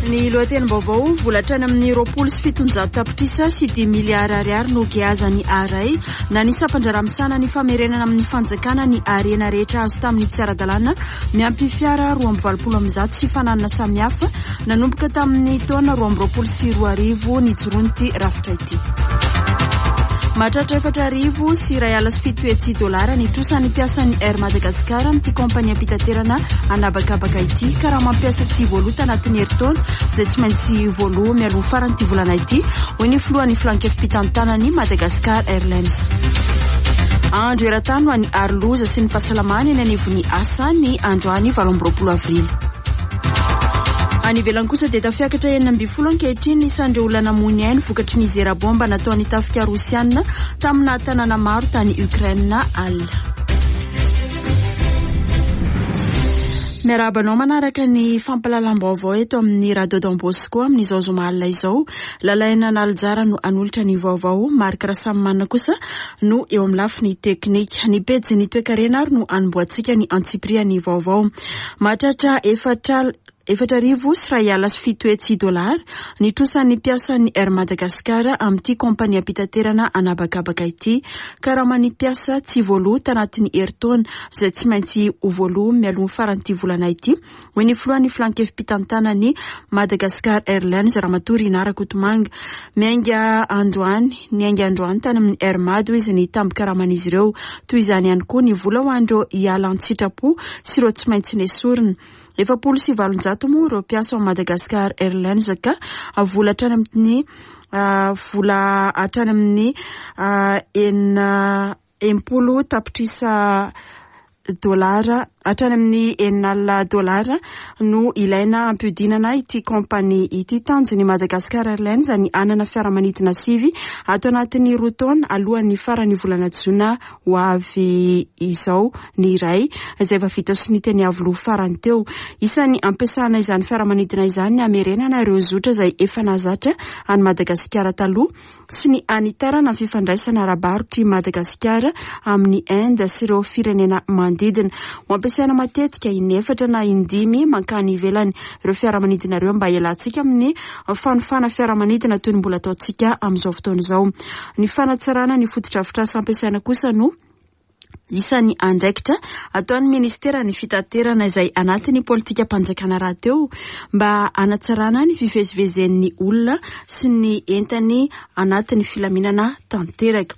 Ny lohatenim-baovao, vola hatrany amin'ny 720 tapitrisa sy dimy miliara ariary no geazan'ny ARAI na ny sampan-draharaha misahana ny famerenana amin'ny fanjakana ny harena rehetra azo tamin'ny tsy ara-dalàna miampy fiara 182 sy fananana samihafa nanomboka tamin'ny taona 2022 nijoroan'ity rafitra ity. Mahatratra 704 700 dolara ny trosan'ny mpiasan'ny Air Madagascar amin'ity kaompaniam-pitaterana an'habakabaka ity. Karama mpiasa tsy voaloa tanatin'ny herintaona izay tsy maintsy voaloa mialoha faran'ity volana ity, hoy ny filohan'ny filankevi-pitantanan'ny Madagascar Airlines. Andro eran-tany ho an'ny aro loza sy ny fahasalamana eny anivon'ny asa ny androany 28 avrily. Any ivelany kosa dia tafiakatra 16 ankehitriny ny isan'ireo olona namoy ny ainy vokatry ny zera bomba nataon'ny tafika rosiana tamina tanàna maro tany Ukraine alina. Miarahaba anao manaraka ny fampahalalam-baovao eto amin'ny Radio Don Bosco amin'izao zoma alina izao. Lalaina Analijara no hanolotra ny vaovao, Marc Rasamimanana kosa no eo amin'ny lafiny teknika. Ny pejin'ny toekarena ary no hanombohantsika ny antsipirihan'ny vaovao. Mahatratra efatra 704 700 dolara ny trosan'ny mpiasan'ny Air Madagascar amin'ity kaompaniam-pitaterana an'habakabaka ity. Karaman'ny mpiasa tsy voaloa tanatin'ny herintaona izay tsy maintsy ho voaloa mialoha ny faran'ity volana ity, hoy ny filohan'ny filankevi-pitantanan'ny Madagascar Airlines, Ramatoa Rinah Rakotomanga. Miainga androany, niainga androany tany amin'ny Air Mad hoy izy ny tambin-karaman'izy ireo. Toy izany ihany koa ny vola ho an'ireo hiala an-tsitrapo sy ireo tsy maintsy nesorina. 840 moa ireo mpiasa ao Madagascar Airlines ka vola hatrany amin'ny vola hatrany amin'ny 66 tapitrisa dolara hatrany amin'ny 60 dolara no ilaina hampiodinana ity kaompania ity. Tanjon'ny Madagascar Airlines ny hanana fiaramanidina sivy ato anatin'ny roa taona alohan'ny faran'ny volana jona ho avy izao ny iray izay efa vita sonia teny Iavoloha farany teo. Isan'ny ampiasana izany fiaramanidina izany ny hamerenana ireo zotra izay efa nahazatra an'i Madagasikara taloha sy ny hanitarana ny fifandraisana ara-barotr'i Madagasikara amin'i Inde sy ireo firenena manodidina. Ho ampiasaina matetika inefatra na indimy mankany ivelany ireo fiaramanidina ireo mba hialantsika amin'ny fanofana fiaramanidina toy ny mbola ataontsika amin'izao fotoana izao. Ny fanatsarana ny fotodrafitrasa ampiasaina kosa no isan'ny andraikitra ataon'ny ministeran'ny fitaterana izay anatin'ny politikam-panjakana rahateo mba hanatsarana ny fivezivezen'ny olona sy ny entany anatin'ny filaminana tanteraka.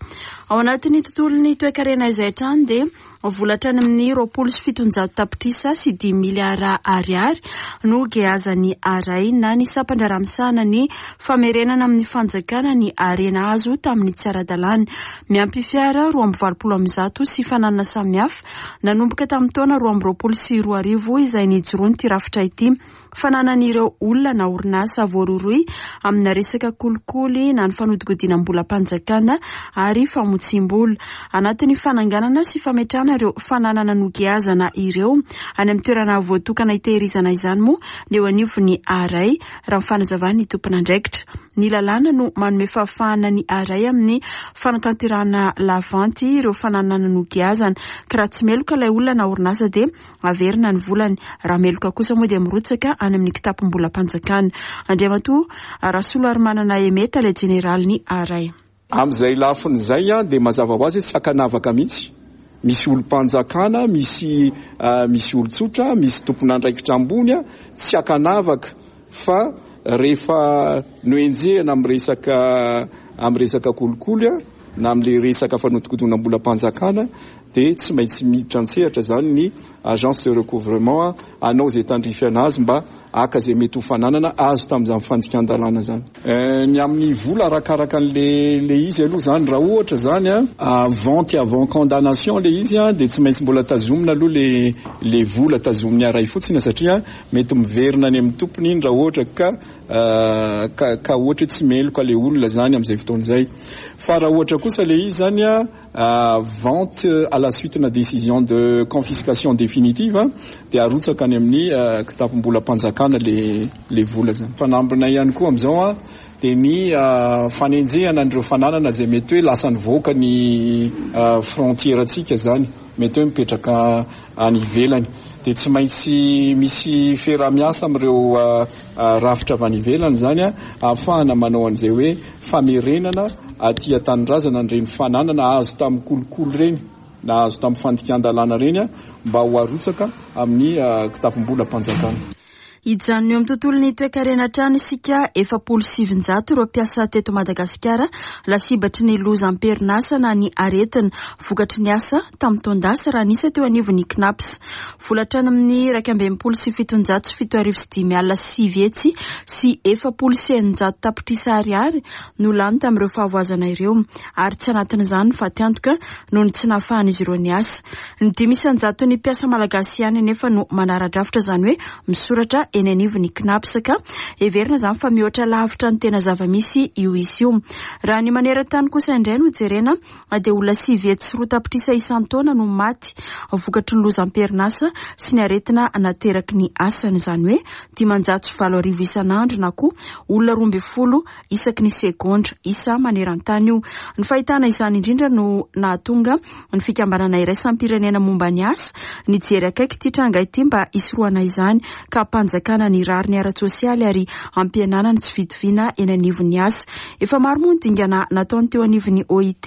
Ao anatin'ny tontolon'ny toekarena izay hatrany dia Vola hatrany amin'ny 720 tapitrisa sy dimy miliara ariary no geazan'ny ARAI na ny sampan-draharaha misahana ny famerenana amin'ny fanjakana ny harena azo tamin'ny tsy ara-dalàna. Miampy fiara 182 sy fananana samihafa nanomboka tamin'ny taona 2022 izay nijoroan'ity rafitra ity. Fananan'ireo olona na orinasa voarohirohy amina resaka kolikoly na ny fanodikodinam-bolam-panjakana ary famotsiam-bola. Anatin'ny fananganana sy fametrahana ireo fananana nogiazana ireo any amin'ny toerana voatokana hitehirizana izany moa ny eo anivon'ny ARAI, raha ny fanazavan'ny tompon'andraikitra. Ny lalàna no manome fahafahana ny ARAI amin'ny fanatanterahana lavanty ireo fananana nogiazana, ka raha tsy meloka ilay olona na orinasa dia Averina ny volany. Raha meloka kosa moa dia mirotsaka any amin'ny kitapom-bolam-panjakana. Andriamatoa Rasoloarimanana Aimé, Tale Jeneralin'ny ARAI. Amin'izay lafiny izay dia mazava ho azy hoe tsy ankanavaka mihitsy. Misy olom-panjakana, misy misy olon-tsotra, misy tompon'andraikitra ambony, tsy ankanavaka fa rehefa nohenjehina amin'ny resaka amin'ny resaka kolikoly na amin'ilay resaka fanodikodinam-bolam-panjakana dia tsy maintsy miditra an-tsehatra izany ny agence de recouvrement hanao izay tandrify anazy mba haka izay mety ho fananana azo tamin'izany fandikan-dalàna izany. Ny amin'ny vola arakaraka an'le le izy aloha izany, raha ohatra izany vente avant condamnation le izy dia tsy maintsy mbola tazomina aloha le le vola tazomin'ny aray fotsiny satria mety miverina any amin'ny tompony iny raha ohatra ka ka ka ohatra hoe tsy meloka le olona izany amin'izay fotoana izay. Fa raha ohatra kosa le izy izany Vente à la suite na décision de confiscation définitive dia arotsaka any amin'ny kitapom-bolam-panjakana le le vola zany. Fanambina ihany koa amin'izao dia ny fanenjehana an'ireo fananana izay mety hoe lasa nivoaka ny frontière-ntsika zany. mety hoe mipetraka any ivelany. Dia tsy maintsy misy fiaraha-miasa amin'ireo rafitra avy any ivelany izany ahafahana manao an'izay hoe famerenana aty an-tanindrazana an'ireny fananana azo tamin'ny kolikoly ireny na azo tamin'ny fandikan-dalàna ireny mba ho arotsaka amin'ny kitapom-bolam-panjakana. Hijanona eo amin'ny tontolon'ny toekarena hatrany isika, 940 ireo mpiasa teto Madagasikara lasibatry ny loza am-perinasa na ny aretina vokatry ny asa tamin'ny taon-dasa raha ny isa teo anivon'ny CNaPS. Vola hatrany amin'ny 761 940 tapitrisa ariary no lany tamin'ireo fahavoazana ireo ary tsy anatin'izany ny fatiantoka noho ny tsy nahafahan'izy ireo niasa. Ny 5 isan-jaton'ny mpiasa malagasy ihany anefa no manara-drafitra, izany hoe misoratra eny anivon'ny CNaPS, ka heverina izany fa mihoatra lavitra ny tena zava-misy io isa io. Raha ny maneran-tany kosa indray no jerena dia olona 902 tapitrisa isan-taona no maty vokatry ny loza am-perinasa sy ny aretina nateraky ny asany, izany hoe 80 500 isan'andro na koa olona 12 isaky ny segondra, isa maneran-tany io. Ny fahitana izany indrindra no nahatonga ny fikambanana iraisam-pirenena momba ny asa nijery akaiky ity tranga ity mba hisorohana izany ka hampanjakana ny rariny ara-tsosialy ary hampihenana ny tsy fitoviana eny anivon'ny asa. Efa maro moa ny dingana nataony teo anivon'ny OIT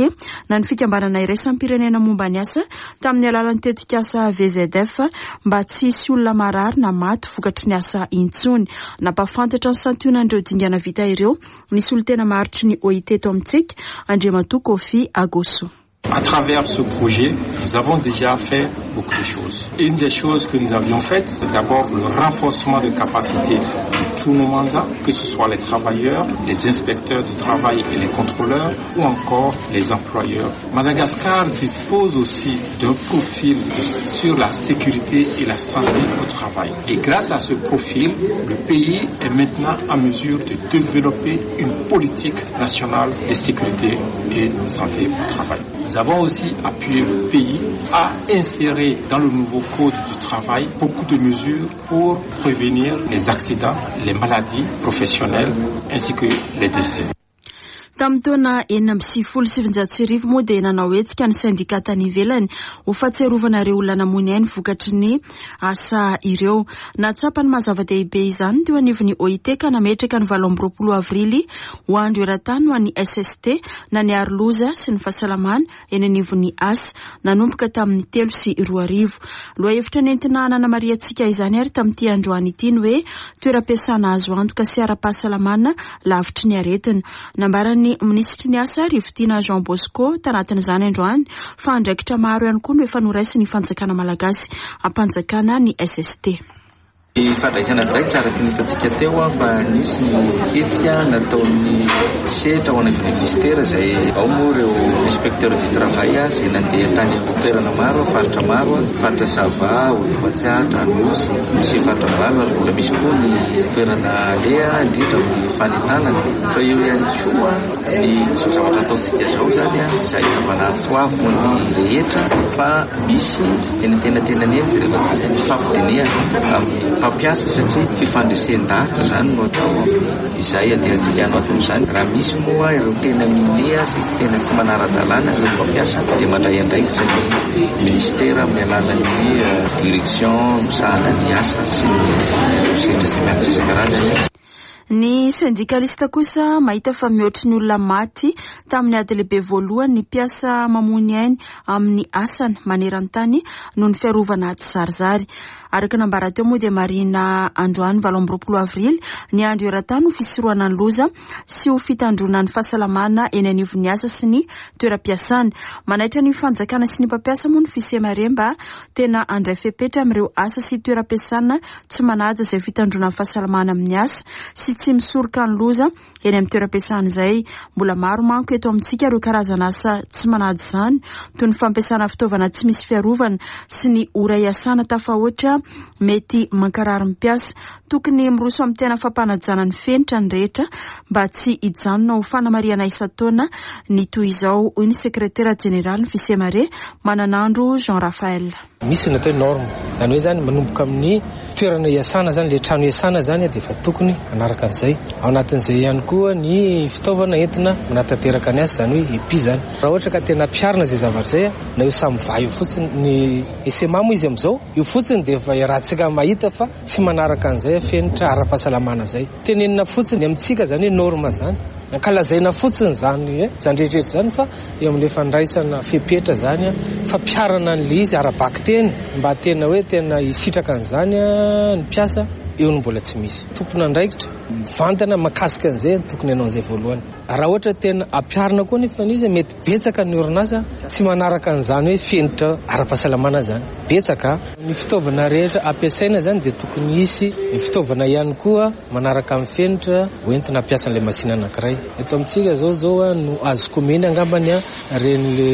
na ny fikambanana iraisam-pirenena momba ny asa tamin'ny alalan'ny tetikasa VZF mba tsy hisy olona marary na maty vokatry ny asa intsony. Nampahafantatra ny santionan'ireo dingana vita ireo ny solontena maharitry ny OIT eto amintsika, Andriamatoa Kofi Agoso. À travers ce projet, nous avons déjà fait beaucoup de choses. Une des choses que nous avions faites, c'est d'abord le renforcement de capacité de tous nos mandats, que ce soit les travailleurs, les inspecteurs du travail et les contrôleurs, ou encore les employeurs. Madagascar dispose aussi d'un profil sur la sécurité et la santé au travail. Et grâce à ce profil, le pays est maintenant en mesure de développer une politique nationale de sécurité et santé au travail. Nous avons aussi appuyé le pays à insérer dans le nouveau code du travail beaucoup de mesures pour prévenir les accidents, les maladies professionnelles ainsi que les décès. Tamin'ny taona 1996 moa dia nanao hetsika ny sendika tany ivelany ho fahatsiarovana ireo olona namoy ny ainy vokatry ny asa ireo. Nahatsapa ny maha zava-dehibe izany teo anivon'ny OIT ka nametraka ny 28 avrily ho andro eran-tany ho an'ny SST na ny aro loza sy ny fahasalamana eny anivon'ny asa nanomboka tamin'ny 2003. Lohahevitra nentina nanamarihantsika izany ary tamin'ity androany ity ny hoe toeram-piasana azo antoka sy ara-pahasalamana lavitry ny aretina. Nambaran'ny minisitry ny asa Rivotiana Jean Bosco tanatin'izany androany fa andraikitra maro ihany koa no efa noraisin'ny fanjakana malagasy hampanjakana ny SST. Ny fandraisana andraikitra araka ny hitantsika teo fa nisy ny hetsika nataon'ny sehatra ao anivon'ny minisitera izay ao moa ireo inspecteur du travail izay nandeha tany amin'ny toerana maro, faritra maro, faritra Sava, Matsiatra, Anosy, misy faritra valo ary mbola misy koa ny toerana aleha indrindra amin'ny fanentanana. Fa eo ihany koa ny izao zavatra ataontsika izao izany izay anaovana antso avo ny rehetra fa misy eny antenatenany eny jerevantsika ny fampidinihana amin'ny mpampiasa satria fifandresen-dahatra izany no atao izay andehantsika hanao aton'izany. Raha misy moa ireo tena minia sy tena tsy manara-dalàna ireo mpampiasa dia mandray andraikitra ny minisitera amin'ny alalan'ny direction misahana ny asa sy ny ireo sehatra tsy miankina isan-karazany. Ny sendikalista kosa mahita fa mihoatry ny olona maty tamin'ny ady lehibe voalohany ny mpiasa mamoy ny ainy amin'ny asany maneran-tany noho ny fiarovana tsizarizary. Araka nambara teo moa dia marihina androany 28 avrily ny andro eran-tany ho fisorohana ny loza sy ho fitandroana ny fahasalamana eny anivon'ny asa sy ny toeram-piasana. Manaitra ny fanjakana sy ny mpampiasa moa ny FISEMARE mba tena handray fepetra amin'ireo asa sy toeram-piasana tsy manaja izay fitandroana ny fahasalamana amin'ny asa sy tsy misoroka ny loza eny amin'ny toeram-piasana izay. Mbola maro manko eto amintsika ireo karazana asa tsy manaja izany toy ny fampiasana fitaovana tsy misy fiarovana sy ny ora iasana tafahoatra. mety mankarary ny mpiasa. Tokony miroso amin'ny tena fampanajana ny fenitra ny rehetra mba tsy hijanona ho fanamarihana isan-taona ny toy izao, hoy ny sekretera jeneralin'ny Fisemare, Mananandro Jean Raphaël. Misy ny atao hoe norme, izany hoe izany manomboka amin'ny toerana iasana izany, ilay trano iasana izany dia efa tokony hanaraka an'izay. Ao anatin'izay ihany koa ny fitaovana entina manatanteraka ny asa, izany hoe EPI izany. Raha ohatra ka tena ampiharina izay zavatra izay, na io SAMVA io fotsiny, ny SMA moa izy amin'izao, io fotsiny dia efa iarahantsika mahita fa tsy manaraka an'izay fenitra ara-pahasalamana izay. Tenenina fotsiny amintsika izany hoe norme izany. Ankalazaina fotsiny izany izany rehetra rehetra izany fa eo amin'ilay fandraisana fepetra izany, fampiharana an'ilay izy ara-bakiteny mba tena hoe tena hisitraka an'izany ny mpiasa, eo no mbola tsy misy. Tompon'andraikitra mivantana mahakasika an'izay no tokony hanao an'izay voalohany. Raha ohatra tena ampiharina koa anefa ilay izy, mety betsaka ny orinasa tsy manaraka an'izany hoe fenitra ara-pahasalamana izany. Betsaka. Ny fitaovana rehetra ampiasaina izany dia tokony hisy ny fitaovana ihany koa manaraka ny fenitra hoentina hampiasa an'ilay machine anankiray. Eto amintsika izao izao no azoko omena angambany ireny le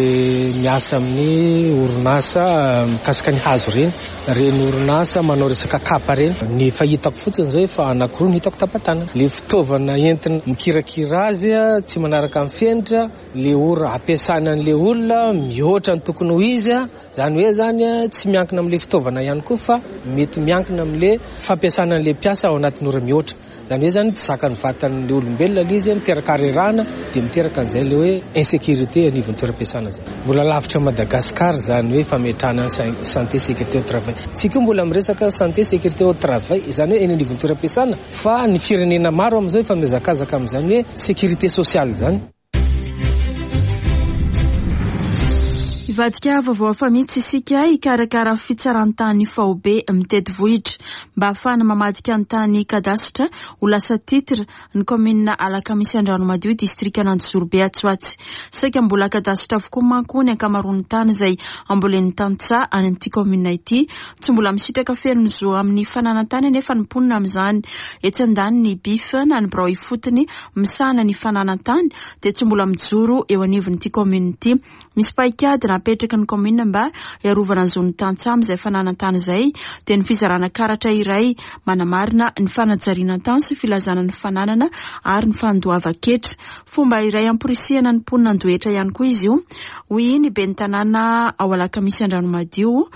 miasa amin'ny orinasa mikasika ny hazo ireny, ireny orinasa manao resaka kapa ireny. Ny efa hitako fotsiny izao efa anankiroa no hitako tapa-tanana. Le fitaovana entina mikirakira azy tsy manaraka ny fenitra, le ora ampiasana an'le olona mihoatra ny tokony ho izy. Izany hoe izany tsy miankina amin'ilay fitaovana ihany koa fa mety miankina amin'ilay fampiasana an'ilay mpiasa ao anatin'ny ora mihoatra. Izany hoe izany tsy zakan'ny vatan'ilay olombelona ilay izy, miteraka harerahana dia miteraka an'izay ilay hoe insécurité anivon'ny toeram-piasana izay. Mbola lavitra an'i Madagasikara izany hoe fametrahana ny santé sécurité au travail. Tsika io mbola miresaka santé sécurité au travail, izany hoe eny anivon'ny toeram-piasana fa ny firenena maro amin'izao efa mihazakazaka amin'izany hoe sécurité sociale izany. Hivadika vaovao hafa mihitsy isika hikarakara fitsaran-tany faobe mitety vohitra mba hahafahana mamadika ny tany kadasitra ho lasa titre ny kaominina Alakamisy Andranomadio distrikan'Anjozorobe atsy ho atsy. Saika mbola kadasitra avokoa manko ny ankamaroan'ny tany izay ambolen'ny tantsaha any amin'ity kaominina ity. Tsy mbola misitraka feno ny zo amin'ny fananan-tany anefa ny mponina amin'izany. Etsy andaniny ny BIF na ny birao ifotony misahana ny fananan-tany dia tsy mbola mijoro eo anivon'ity kaominina ity. Misy paikady napetraky ny kaominina mba hiarovana ny zon'ny tantsaha amin'izay fananan-tany izay dia ny fizarana karatra iray manamarina ny fanajariana tany sy filazana ny fananana ary ny fandoavan-ketra. Fomba iray hamporisihana ny mponina handoa hetra ihany koa izy io, hoy ny ben'ny tanàna ao Alakamisy Andranomadio,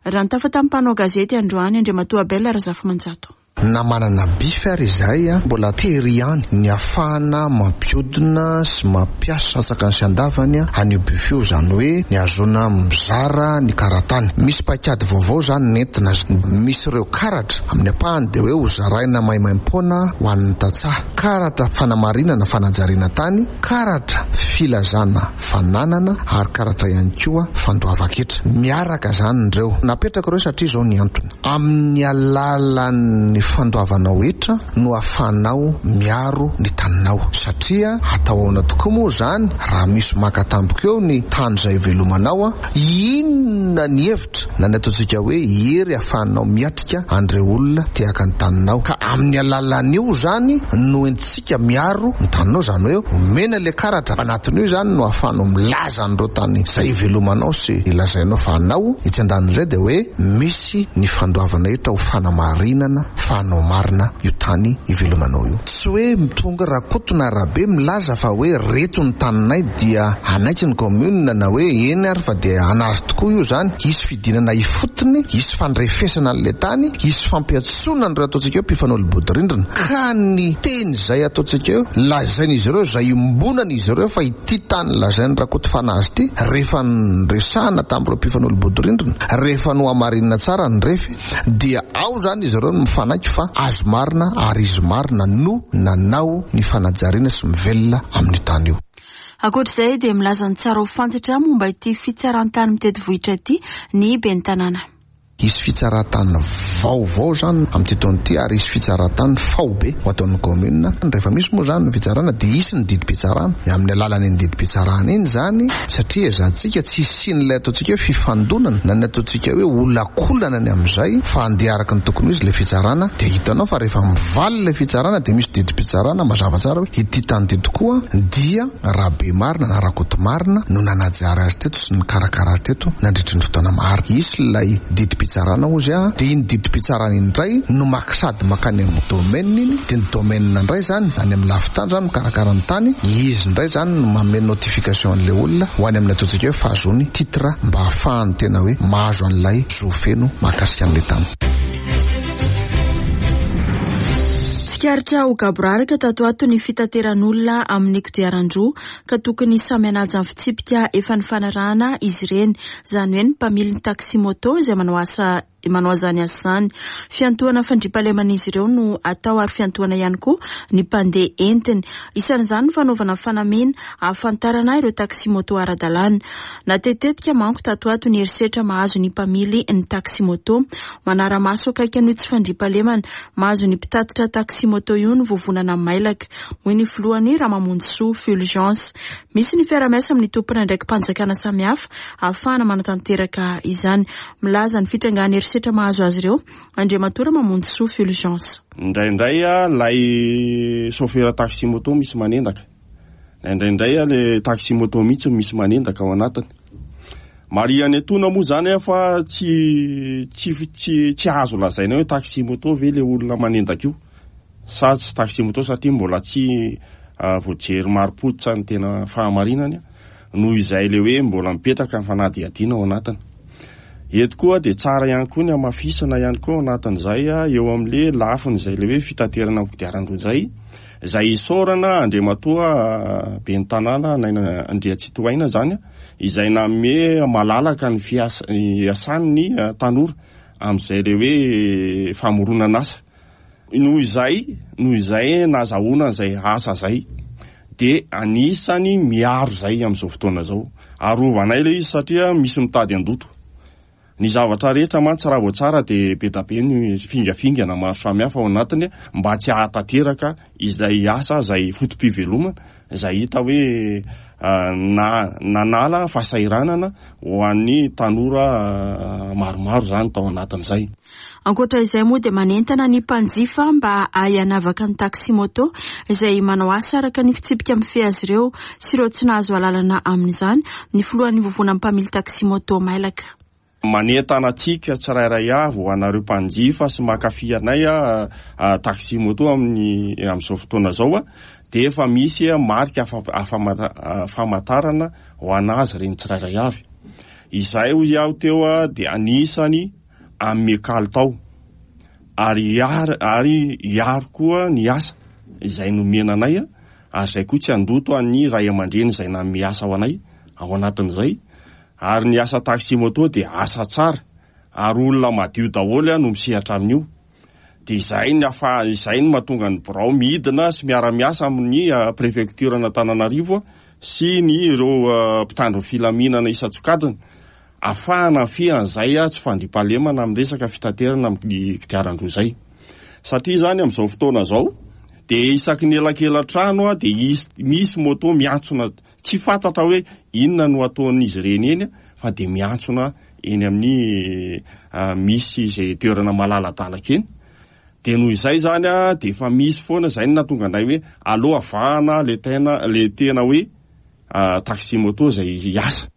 raha nitafa tamin'ny mpanao gazety androany Andriamatoa Abel Razafimanjato. Na manana bif ary izahay mbola tery ihany ny ahafahana mampiodina sy mampiasa antsakany sy andavany an'io bif io, izany hoe ny ahazoana mizara ny karatany. Misy paikady vaovao izany nentina, misy ireo karatra amin'ny ampahany dia hoe ho zaraina maimaimpoana ho an'ny tantsaha, karatra fanamarinana fanajariana tany, karatra filazana fananana ary karatra ihany koa fandoavan-ketra. Miaraka izany ireo. Napetraka ireo satria izao ny antony. Amin'ny alalan'ny fandoavanao hetra no ahafahanao miaro ny taninao. Satria atao ahoana tokoa moa izany raha misy maka tampoka eo ny tany izay ivelomanao? Inona ny hevitra na ny ataontsika hoe hery ahafahanao miatrika an'ireo olona te haka ny taninao? Ka amin'ny alalan'io izany no entintsika miaro ny taninao, izany hoe omena ilay karatra anatin'io izany no ahafahanao milaza an'ireo tany izay ivelomanao sy lazainao fa anao. Etsy andanin'izay dia hoe misy Tsy ny fandoavana hetra ho fanamarinana fa hanao marina io tany ivelomanao io. Tsy hoe tonga Rakoto na Rabe milaza fa hoe reto ny taninay dia hanaiky ny commune na hoe eny ary fa dia hanary tokoa io zany. Hisy fidinana ifotony, hisy fandrefesana an'ilay tany, hisy fampiantsoana an'ireo ataontsika hoe mpifanolo-bodirindrina. Ka ny teny izay ataontsika hoe lazain'izy ireo, izay iombonan'izy ireo fa ity tany lazain'i Rakoto Fanazy ity, rehefa niresahana tamin'ireo mpifanolo-bodirindrina, Rehefa nohamarinina tsara ny refy dia ao izany izy ireo no mifanaiky fa azy marina ary izy marina no nanao ny fanajariana sy mivelona amin'io tany io. Ankoatra izay dia milaza ny tsara ho fantatra momba ity fitsaran-tany mitety vohitra ity ny ben'ny tanàna. Hisy fitsaran-tany vaovao izany amin'ity taona ity ary hisy fitsaran-tany faobe ho ataon'ny kaominina. Rehefa misy moa izany ny fitsarana dia hisy ny didim-pitsarana. Amin'ny alalan'iny didim-pitsarana iny izany satria ezahantsika tsy hisian'ilay ataontsika hoe fifandonana na ny ataontsika hoe olakolana ny amin'izay fa handeha araka ny tokony ho izy ilay fitsarana dia hitanao fa rehefa mivaly ilay fitsarana dia misy didim-pitsarana mazava tsara hoe ity tany ity tokoa dia Rabemarina na Rakotomarina no nanajary azy teto sy nikarakara azy teto nandritry ny fotoana maro. Hisy ilay didim-pitsarana. didim-pitsarana hozy a, dia iny didim-pitsarana iny indray no maka sady makany amin'ny domaine iny, dia ny domaine indray izany any amin'ny lafin-tany izany mikarakara ny tany, izy indray izany no manome notification an'ilay olona ho any amin'ny ataontsika hoe fahazoany titre mba hahafahany tena hoe mahazo an'ilay zo feno mahakasika an'ilay tany. Tsikaritra ho gaboraraka tato ato ny fitateran'olona amin'ny kodiaran-droa ka tokony samy hanaja ny fitsipika efa nifanarahana izy ireny, izany hoe ny mpamily ny taxi-moto izay manao asa manao izany asa izany. Fiantohana fandriampahaleman'izy ireo no atao ary fiantohana ihany koa ny mpandeha entiny. Isan'izany ny fanaovana fanamiana ahafantarana ireo taxi-moto ara-dalàna. Natetitetika manko tato ato ny herisetra mahazo ny mpamily ny taxi-moto. Manara-maso akaiky an'io tsy fandriampahalemana mahazo ny mpitatitra taxi-moto io ny vovonana mailaka, hoy ny filohany Ramamonjisoa Fulgence. Misy ny fiarahamiasa amin'ny tompon'andraiki-panjakana samihafa ahafahana manatanteraka izany. Milaza ny fitrangan'ny herisetra mahazo azy ireo Andriamatoa Ramamonjisoa Fulgence. Indraindray ilay chauffeur taxi moto misy manendaka. Indraindray ilay taxi moto mihitsy no misy manendaka ao anatiny. Marihana etoana moa izany fa tsy tsy tsy tsy azo lazaina hoe taxi moto ve ilay olona manendaka io sa tsy taxi moto satria mbola tsy voajery marim-pototra ny tena fahamarinany noho izay ilay hoe mbola mipetraka ny fanadihadiana ao anatiny. Eto koa dia tsara ihany koa ny hamafisana ihany koa ao anatin'izay eo amin'ilay lafiny izay ilay hoe fitaterana amin'ny kodiaran-droa izay, izay isaorana Andriamatoa Ben'ny Tanàna Naina Andriantsitohaina izany izay nanome malalaka ny fiasa- iasan'ny tanora amin'izay ilay hoe famoronan'asa. Noho izay, noho izay nahazahoana an'izay asa izay dia anisany miaro izay amin'izao fotoana izao. Arovanay ilay izy satria misy mitady handoto. Ny zavatra rehetra mantsy raha vao tsara dia be da be ny fingafingana maro samihafa ao anatiny mba tsy hahatanteraka izay asa izay foto-pivelomana izay hita hoe na nanala fahasahiranana ho an'ny tanora maromaro izany tao anatin'izay. Ankoatra izay moa dia manentana ny mpanjifa mba hahay hanavaka ny taxi-moto izay manao asa araka ny fitsipika mifehy azy ireo sy ireo tsy nahazo alalana amin'izany ny filohan'ny vovonan'ny mpamily taxi-moto mailaka. Manentana antsika tsirairay avy ho anareo mpanjifa sy mankafy anay taxi-moto amin'ny amin'izao fotoana izao dia efa misy marika famantarana ho an'azy ireny tsirairay avy. Izay hoy aho teo dia anisany hanome kalitao ary hiaro ary hiaro koa ny asa izay nomena anay ary izay koa tsy handoto an'ny ray aman-dreny izay nanome asa ho anay ao anatin'izay ary ny asa taxi moto dia asa tsara ary olona madio daholo no misehatra amin'io dia izay ny afa izay no mahatonga ny birao midina sy miara-miasa amin'ny prefecture an'Antananarivo sy ny ireo mpitandro ny filaminana isan-tsokajiny Afahana mifehy an'izay tsy fandriampahalemana amin'ny resaka fitaterana amin'ny kodiaran-droa izay. Satria izany amin'izao fotoana izao dia isaky ny elakelan-trano dia misy moto miantsona tsy fantatra hoe inona no ataon'izy ireny eny fa dia miantsona eny amin'ny misy izay toerana malaladalaka eny. Dia noho izay izany dia efa misy foana izay no nahatonga anay hoe aleo avahana ilay tena ilay tena hoe taxi moto izay hiasa.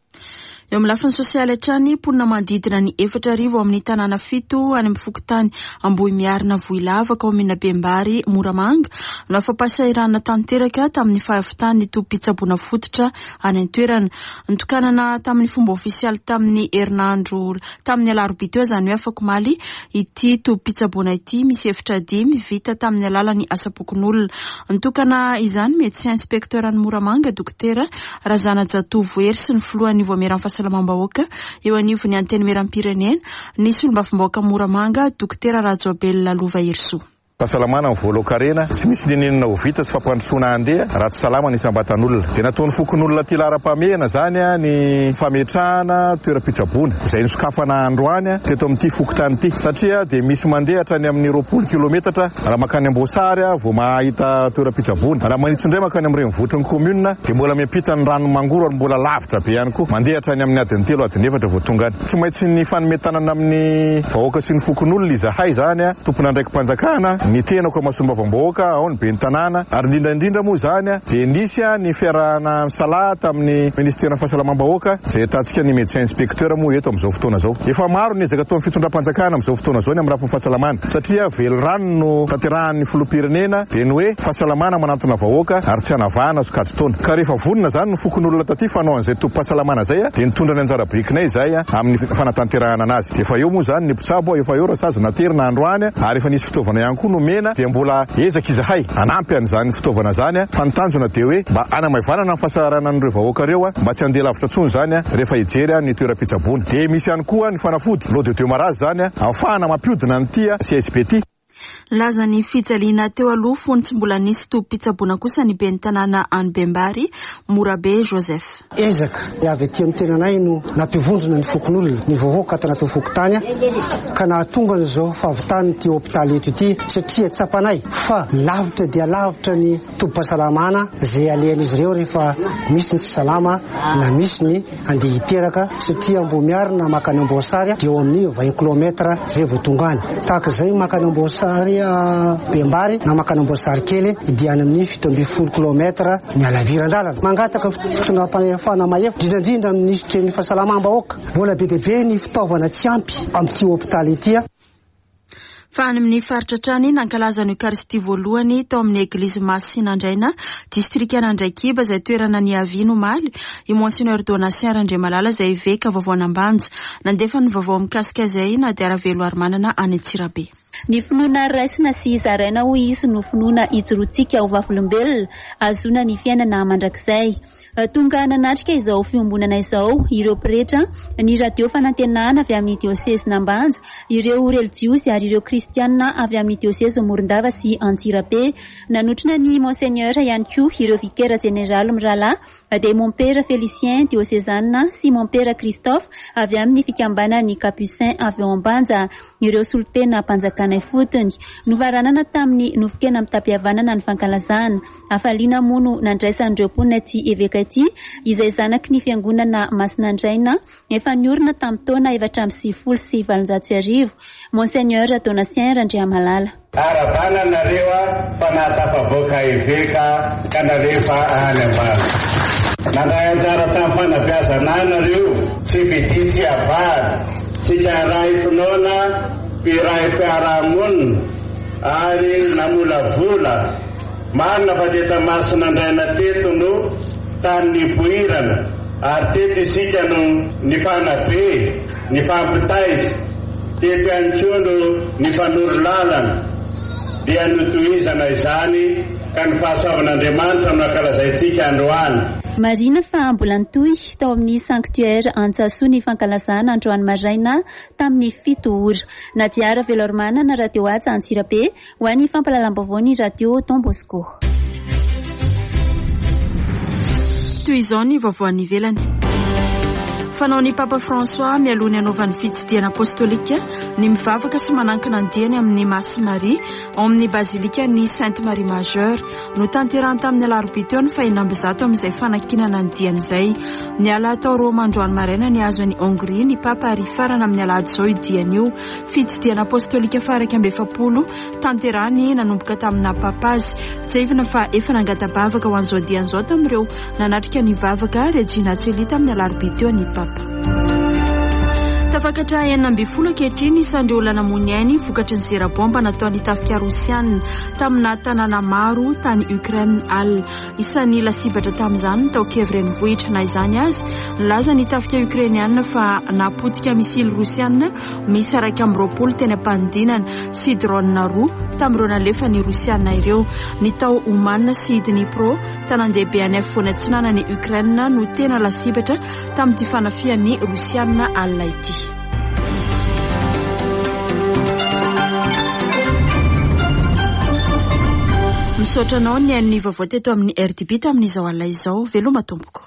Eo amin'ny lafiny sosialy hatrany, mponina manodidina ny 4000 ao amin'ny tanàna fito any amin'ny fokontany Ambohimiarina Vohilava, kaominina Bembary, Moramanga, no afa-pahasahiranana tanteraka tamin'ny fahavitan'ny tobim-pitsaboana fototra any an-toerana. Nitokanana tamin'ny fomba ofisialy tamin'ny herinandro tamin'ny alarobia teo, izany hoe afakomaly, ity tobim-pitsaboana ity misy efitra dimy vita tamin'ny alalan'ny asam-pokonolona. Nitokana izany Médecin Inspecteur an'i Moramanga, Dokotera Razanajatovo Hery sy ny filohan'ny Vaomieran'ny Fahasalamam-bahoaka eo anivon'ny Antenimierampirenena, ny solombavambahoaka Moramanga, Dokotera Rajaobelina Lova Herisoa. Fahasalamana ny voalohan-karena, tsy misy n'inon'inona ho vita sy fampandrosoana handeha raha tsy salama ny isam-batan'olona. Dia nataon'ny fokonolona aty laharam-pahamehana izany ny fametrahana toeram-pitsaboana izay nosokafana androany teto amin'ity fokontany ity satria dia misy mandeha hatrany amin'ny 20 kilometatra Raha mankany Amboasary vao mahita toeram-pitsaboana. Raha manitsy indray mankany amin'ny renivohitry ny commune dia mbola miampita ny ranon'i Mangoro ary mbola lavitra be ihany koa. Mandeha hatrany amin'ny adiny telo, adiny efatra vao tonga any. Tsy maintsy nifanome tanana amin'ny vahoaka sy ny fokonolona izahay izany, tompon'andraiki-panjakana. ny tenako amin'ny solombavambahoaka, ao ny ben'ny tanàna ary indrindra indrindra moa izany dia nisy ny fiarahana misalahy tamin'ny ministeran'ny fahasalamam-bahoaka izay ahitantsika ny médecin inspecteur moa eto amin'izao fotoana izao. Efa maro ny ezaka ataon'ny fitondram-panjakana amin'izao fotoana izao ny amin'ny lafiny fahasalamana satria velirano no tanterahan'ny filoham-pirenena dia ny hoe fahasalamana manantona vahoaka ary tsy hanavahana sokajin-taona. Ka rehefa vonona izany ny fokonolona taty fa hanao an'izay tobim-pahasalamana izay dia nitondra ny anjara birikinay izahay amin'ny fanatanterahana anazy. Dia efa eo moa izany ny mpitsabo, efa eo rasazy naterina androany ary efa nisy fitaovana ihany koa nomena dia mbola ezaka izahay hanampy an'izany fitaovana izany fa ny tanjona dia hoe mba hanamaivanana ny fahasahiranan'ireo vahoaka ireo mba tsy handeha lavitra intsony izany rehefa hijery ny toeram-pitsaboana. Dia misy ihany koa ny fanafody, lot de demarrage izany ahafahana mampihodina an'ity CSB ity. Nilaza ny fijaliana teo aloha fony tsy mbola nisy tobim-pitsaboana kosa ny ben'ny tanàna any Bembary, Morabe Joseph. Ezaka avy aty amin'ny tenanay no nampivondrona ny fokonolona, ny vahoaka ato anatin'ny fokontany ka nahatonga an'izao fahavitan'ity hopitaly eto ity satria tsapanay fa lavitra dia lavitra ny tobim-pahasalamana izay alehan'izy ireo rehefa misy ny tsy salama na misy ny andeha hiteraka satria Ambohimiary na makany Amboasary dia eo amin'ny 20 kilomètre izay vao tonga any. Tahaka izay makany Amboasary Bembary na makany Amboasary kely dia any amin'ny 17 kilomètre ny halaviran-dalana. Mangataka fitondram-pahefana mahefa, indrindra indrindra amin'ny minisitry ny fahasalamam-bahoaka. Mbola be dia be ny fitaovana tsy ampy amin'ity hopitaly ity. Fa any amin'ny faritra hatrany, nankalaza ny Eokaristia voalohany tao amin'ny Eglizy Masinandraina, distrikan'Andraikiba, izay toerana niaviany omaly, i Monseigneur Donatien Randriamalala izay eveka vaovaon'Ambanja. Nandefa ny vaovao mikasika izay i Nadia Raveloarimanana any Antsirabe. Ny finoana raisina sy zaraina hoy izy no finoana ijoroantsika ho vavolombelona ahazoana ny fiainana mandrakizay. Tonga nanatrika izao fiombonana izao ireo pretra, ny Radio Fanantenana avy amin'ny diosezin'Ambanja, ireo relijiozy ary ireo kristianina avy amin'ny diosezy Morondava sy Antsirabe. Nanotrona ny Monseigneur ihany koa ireo vikera jeneraly mirahalahy dia Mompera Félicien diosezanina sy Mompera Christophe avy amin'ny fikambanan'ny Capucins avy ao Ambanja, ireo solontenam-panjakana ifotony. Nofaranana tamin'ny nofon-kena mitam-pihavanana ny fankalazana. Hafaliana moa no nandraisan'ireo mponina ity eveka ity, izay zanaky ny fiangonana Masinandraina, efa niorina tamin'ny taona 1894, Monseigneur Donatien Randriamalala. Arahabana anareo fa nahatafavoaka eveka ka nalefa any ambany. Nandray anjara tamin'ny fanabeazana ahy nareo, tsy fidia tsy avahana, tsika iray finoana, mpiray fiarahamonina ary namolavola. Marina fa teto Masinandraina teto no tany nipoirana ary teto isika no nifanabe, nifampitaiza, teto ihany koa no nifanoro lalana, dia notohizana izany ka ny fahasoavan'Andriamanitra no ankalazaintsika androany. Marihina fa mbola nitohy tao amin'ny Sanctuaire Antsasoa ny fankalazana androany maraina tamin'ny fito ora. Nadia Raveloarimanana, Radio Haja Antsirabe. Ho an'ny fampahalalam-baovao ny Radio Don Bosco. Toy izao ny vaovao any ivelany. Fanaon'ny Papa François mialoha ny hanaovany fitsidihana apostolika ny mivavaka sy manankina ny diany amin'ny Masy Maria ao amin'ny bazilikan'ny Sainte Marie Majeure. Notanterahiny tamin'ny alarobia teo ny fahenina ambizato amin'izay fanankinana ny diany izay. Niala tao Roma androany maraina nihazo an'i Hongrie ny Papa ary hifarana amin'ny alahady izao io diany io. Fitsidihana apostolika faha 41 tanterahiny nanomboka tamin'ny naha Papa azy. Tsiahivina fa efa nangata-bavaka ho an'izao diany izao tamin'ireo nanatrika ny vavaka Regina Coeli tamin'ny alarobia teo ny Papa. Tafakatra 16 ankehitriny ny isan'ireo olona namoy ny ainy vokatry ny zera baomba nataon'ny tafika rosiana tamina tanàna maro tany Ukraine alina. Isan'ny lasibatra tamin'izany ny tao Kiev renivohitra. Na izany aza, nilaza ny tafika Ukrainiana fa nahapotika misily rosiana miisa 21 teny am-panidinana sy drone roa tamin'ireo nalefan'ny Rosiana ireo. Ny tao Ouman sy Dnipro, tanàn-dehibe any afovoany atsinanan'i Ukraine no tena lasibatra tamin'ity fanafihan'ny Rosiana alina ity. Misaotra anao nihaino ny vaovao teto amin'ny RDB tamin'izao alina izao. Veloma tompoko.